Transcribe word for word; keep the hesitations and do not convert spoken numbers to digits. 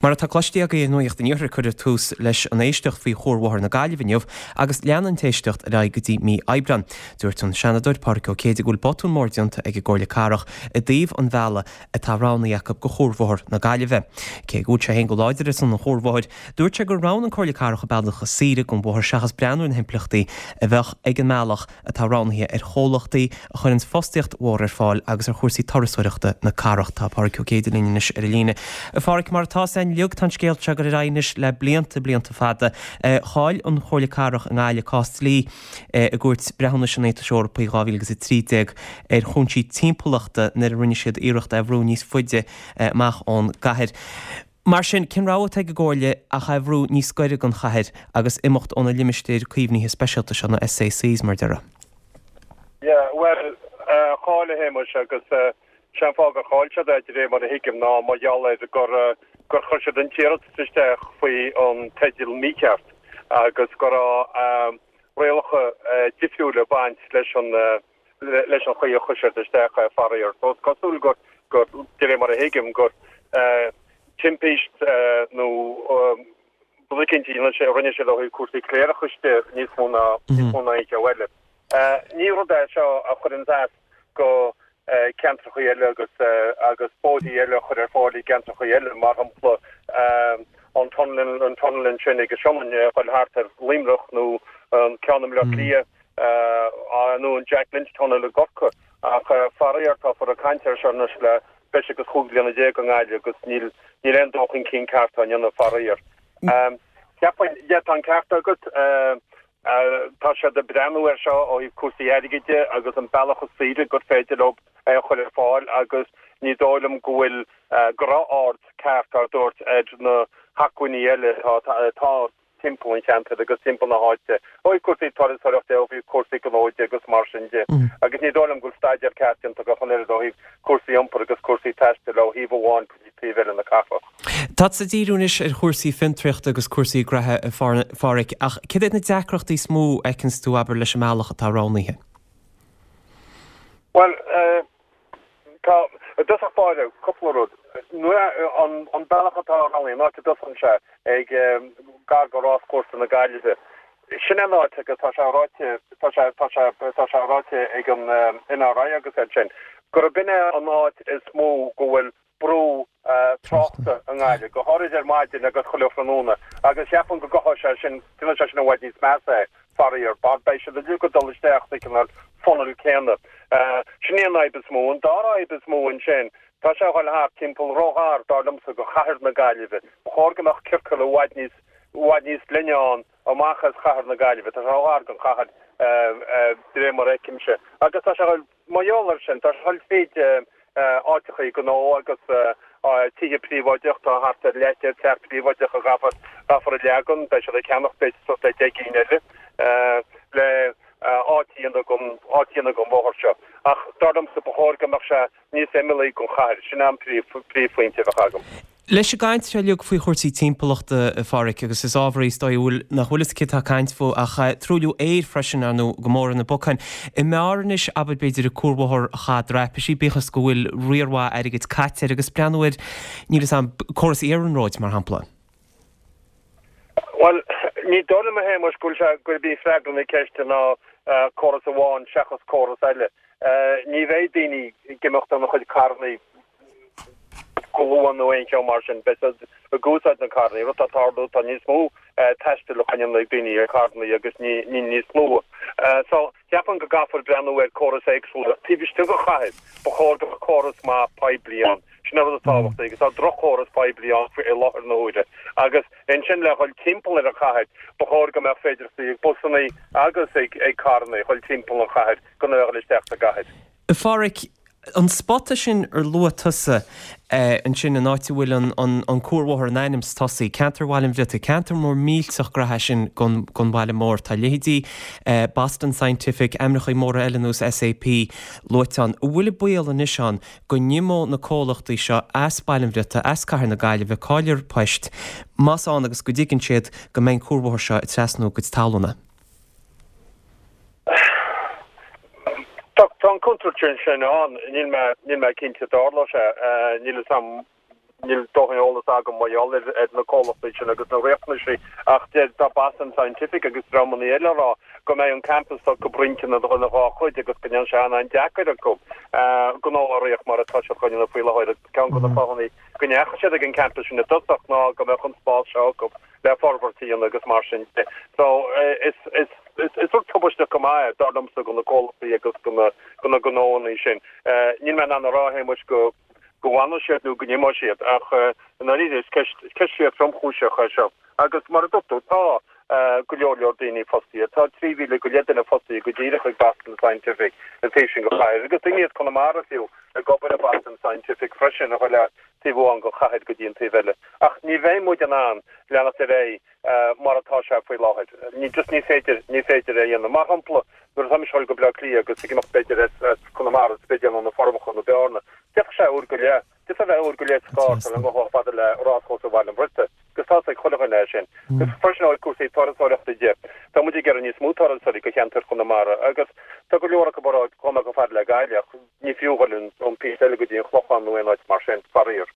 Mar atá cloiste agaibh i Nuacht an Iarthair cuireadh tús leis an éisteacht faoi Chuarbhóthar na Gaillimhe inniu agus leanann an t-éisteacht ar aghaidh go dtí mí Aibreán. Dúirt an Seanadóir Pádraig Ó Céidigh go bhfuil botún mór déanta ag an gComhairle Cathrach i dtaobh an bhealaigh atá roghnaithe acu go Chuarbhóthar na Gaillimhe. Cé go bhfuil sé féin go láidir ar son an chuarbhóthair, dúirt sé gur roghnaigh an Comhairle Cathrach an bealach is saoire don bhóthar seachas breathnú ar na himpleachtaí a bheadh ag an mbealach atá roghnaithe ar chomhlachtaí a chuireanns fostaíocht mhór ar fáil agus ar chúrsaí turasóireachta na cathrach. Tá Pádraig Ó Céidigh linn anois ar an líne. A Phádraig, mar atá againn uilig, tá an scéal seo ag dul ar aghaidh anois le blianta, blianta fada. Chaill an Chomhairle Cathrach i nGaillimh cás dlí i gCúirt Breithiúnais an Aontais Eorpaigh dhá mhíle agus a trí déag ar chúinsí timpeallachta nuair a rinne siad iarracht é a bhrú níos faide amach ón gcathair. Mar sin, cén rogha atá ag an gComhairle ach é a bhrú níos gaire don chathair agus imeacht ó na limistéir caomhnaithe speisialta seo, na SACs, mar a déarfá? Yeah, bhuel, chaill a Shéamais agus sé an fáth gur chaill siad é, de réir mar a thuigim, ná mar gheall ar gur gur chuir siad an t-iarratas isteach faoi an teideal mícheart agus go raibh rialacha difriúla ag baint leis an leis an chaoi a chuir siad isteach é, faraor. So is cosúil gur, gur, de réir mar a thuigim, gur timpist nó rud eicínt a rinne siad ó thaobh cúrsaí cléireachais de níos mó ná níos mó ná aon cheo eile. Ní rud é seo a chuireann as go ceantracha eile agus agus bóithrí eile a chur ar fáil i gceantracha eile, mar shampla an tunnel an tunnel ansin ag an Sionainn a dhul thart ar Luimneach nó an ceann i mBleá Cliath nó an Jack Lynch Tunnel i gCorcaigh. Ach faraor táthar ag caint air seo anois le breis agus chúig bliana déag i nGaillimh agus níl níl aon dul chun cinn ceart á ndéanamh faraor. Cheapfainn, yeah, tá an ceart agat, tá siad ag breathnú air seo ó thaobh cúrsaí airgid de agus an bealach is saoire gur féidir leo é a chur ar fáil agus ní dóigh liom go bhfuil go raibh aird ceart á dtabhairt ar na hacmhainní eile atá atá timpeall an cheantair agus timpeall na háite, ó thaobh cúrsaí turasóireachta de, ó thaobh cúrsaí gnó de agus mar sin de. Agus ní dóigh liom go bhfuil staidéar ceart déanta acu ach an oiread ó thaobh cúrsaí iompair agus cúrsaí taistil ó thaobh amháin go dtí taobh eile na cathrach. Tá tú ag díriú anois ar chúrsaí fiontraíochta agus cúrsaí graithe, a Pháraic, ach céard iad na deacrachtaí is mó a fheiceanns tú, abair, leis an mbealach atá roghnaithe? Bhuel, Tá, i dtosach báire, cúpla rud. Nuair a, an, an bealach atá roghnaithe, an áit a dtosaíonn sé, ag gar go Ráschúrsa na Gaillimhe, sin é an áit agus tá sé ráite, tá sé, tá sé, tá sé ráite ag an NRI agus iad sin, gurb in é an áit is mó go bhfuil brú tráchta i nGaillimh, go háirid ar maidin agus chuile thráthnóna, agus cheapfainn go gcothóidh sé sin, déanfaidh sé sin i bhfad níos measa é, faraor, mar beidh siad uilig ag dul isteach sa chineál funnel céanna. Sin í an fhadhb is mó. An dara fhadhb is mó ansin, tá sé a dhul thart timpeall róghar, dar liomsa, go chathair na Gaillimhe. Ba chóir go mbeadh ciorcal i bhfad níos, i bhfad níos glaine ann amach as chathair na Gaillimhe. Tá sé róghar don chathair, de réir mar a fheicimse. Agus tá sé a dhul. Mar gheall air sin, tá sé ag dul fríd áiteachaí gnó agus tithe príobháideach, tá thart ar leathchéad teach príobháideach a gcaithfear a leagan, beidh siad ag ceannach b'fhéidir suas le deich gcinn eile le áit a dhéanamh don, áit a dhéanamh don bhóthar seo. Ach dar liomsa, ba chóir go mbeadh sé níos imeallaí don chathair, sin an príomhphointe a bheadh agam. Leis an gcaint seo uilig faoi chúrsaí timpeallachta, a Pháraic, agus is ábhar é is dóigh a bhfuil, nach bhfuil fhios cé atá ag caint fúthu, ach truailliú aeir freisin, ar ndóigh, go mór ar na bacáin. An mb'fhearr anois, abair, b'fhéidir, cuarbhóthar Chath Draipisí, bíodh is go bhfuil riar mhaith airgid caite air, agus breathnú ar, níl fhios a'm, córas iarnróid, mar shampla. Bhuel, ní dóigh liom, a Shéamais, go bhfuil sé, gurb í freagra na ceiste ná córas amháin seachas córas eile. Ní bheidh daoine ag imeacht óna chuid carrannaí go luath nó aon cheo mar sin. Beidh siad ag úsáid na carrannaí. Rud atá ag tarlú, tá níos mó taistil á dhéanamh ag daoine ar charrannaí agus ní níos lú. So, cheapfainn go gcaithfear breathnú ar córas éagsúla. Taobh istigh den chathair, ba chóir go mbeadh córas maith poiblí ann. Sin an rud is tábhachtaí agus tá droch-chóras poiblí ann faoi láthair na huaire. Agus ansin le dhul timpeall ar an chathair, ba chóir go mbeadh féidearthachtaí ag busannaí agus ag carrannaí dhul timpeall an chathair gan a bheith ag dhul isteach sa gcathair. A Pháraic, an spota sin ar luaigh tusa ansin, an áit a bhfuil an cuarbhóthar in ainm is tosaí, ceantar Bhaile an Bhriotaigh, ceantar mór millteach graithe é sin gon bhaile mór. Tá leithéidí Boston Scientific, ainmneachaí móra eile ar nós SAP luaite ann. An bhfuil an baol anois ann go n-imeodh na comhlachtaí seo as Baile an Bhriotaigh, as Cathair na Gaillimhe, caillfear poist, más ann agus go dtuigeann siad go mbeidh an cuarbhóthar seo ag trasnú a gcuid talúna? Tá an contúirt sin ann, níl mé, níl mé cinnte dtarlóidh sé, níl fhios a'm Níl dóthain eolas agam mar gheall ar na comhlachtaí sin agus na riachtanaisí ach deir tá Boston Scientific agus dreamanna eile ag rá go mbeidh an campus acu roinnte ina dhá chuid agus go ndéanfaidh sé an-deacair acu gnó a rith mar atá siad chun faoi láthair agus ceann de na fáthanna go ndeachaigh siad ag an campus sin i dtosach ná go mbeadh an spás seo acu le forbairt a dhéanamh agus mar sin de. So is is is rud tubaisteach go maith dar liomsa do na comhlachtaí agus do na do na gnóanna sin. Níl mé in ann a rá a Shéamuis go go bhfanfaidh siad nó go n-imeoidh siad ach i ndáiríre is ceist ceist fíor tromchúiseach é seo. Agus mar a dúirt tú tá go leor leor daoine fostaithe. Tá trí mhíle go leith duine fostaithe go díreach ag Boston Scientific an taobh sin den chathair agus daoine as Conamara fiú ag obair i Boston Scientific freisin a chuile taobh amháin den chathair go dtí an taobh eile. Ach ní bheidh muid in ann leanacht ar aghaidh mar atá sé faoi láthair. Ní just ní féidir ní féidir é a dhéanamh. Mar shampla nuair atá mise ag dul go Bleá Cliath agus ag imeacht b'fhéidir as Conamara is b'fhéidir nó na Forbacha nó Bearna. D'fhéadfadh sé uair go leith, d'fhéadfadh a bheith uair go leith sa charr le dhul chomh fada le ráschúrsa Bhaile an Bhriotaigh. Agus tá ag chuile dhuine é sin. Agus freisin ó cúrsaí turasóireachta de, tá muid ag iarraidh níos mó turasóirí go cheantar Chonamara agus tá go leor acu ag rá gabhfaidh mé chomh fada le Gaillimh ach ní fiú dhul an píosa eile go dtí an Chlochán nó aon áit mar sin, faraor.